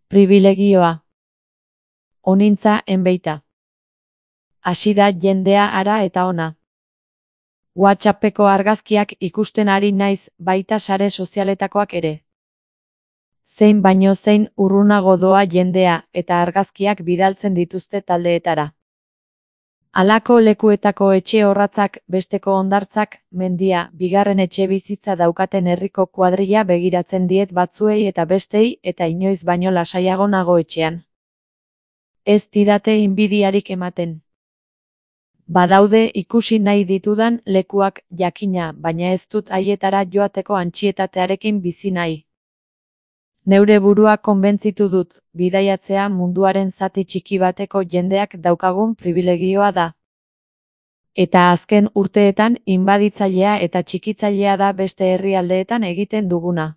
Pribilegioa. Onintza enbeita. Hasi da jendea ara eta ona. WhatsAppeko argazkiak ikusten ari naiz, baita sare sozialetakoak ere. Zein baino zein urrunago doa jendea, eta argazkiak bidaltzen dituzte taldeetara. Halako lekuetako etxe orratzak, besteko hondartzak, mendia, bigarren etxe bizitza daukaten herriko kuadrilla begiratzen diet batzuei eta bestei, eta inoiz baino lasaiago nago etxean. Ez didate inbidiarik ematen. Badaude ikusi nahi ditudan lekuak, jakina, baina ez dut haietara joateko antsietatearekin bizi nahi. Neure burua konbentzitu dut, bidaiatzea munduaren zati txiki bateko jendeak daukagun pribilegioa da. Eta azken urteetan inbaditzailea eta txikitzailea da beste herrialdeetan egiten duguna.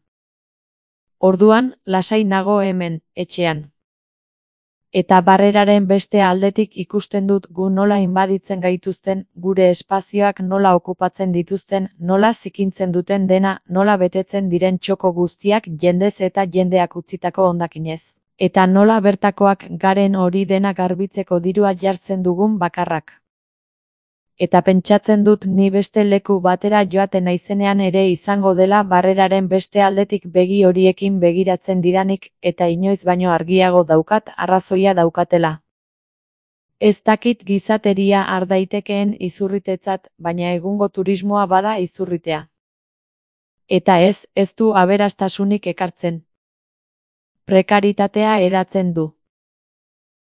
Orduan, lasai nago hemen, etxean. Eta barreraren beste aldetik ikusten dut gu nola inbaditzen gaituzten, gure espazioak nola okupatzen dituzten, nola zikintzen duten dena, nola betetzen diren txoko guztiak jendez eta jendeak utzitako hondakinez. Eta nola bertakoak garen hori dena garbitzeko dirua jartzen dugun bakarrak. Eta pentsatzen dut ni beste leku batera joaten naizenean ere izango dela barreraren beste aldetik begi horiekin begiratzen didanik, eta inoiz baino argiago daukat arrazoia daukatela. Ez dakit gizateria har daitekeen izurritetzat, baina egungo turismoa bada izurritea. Eta ez du aberastasunik ekartzen. Prekaritatea hedatzen du.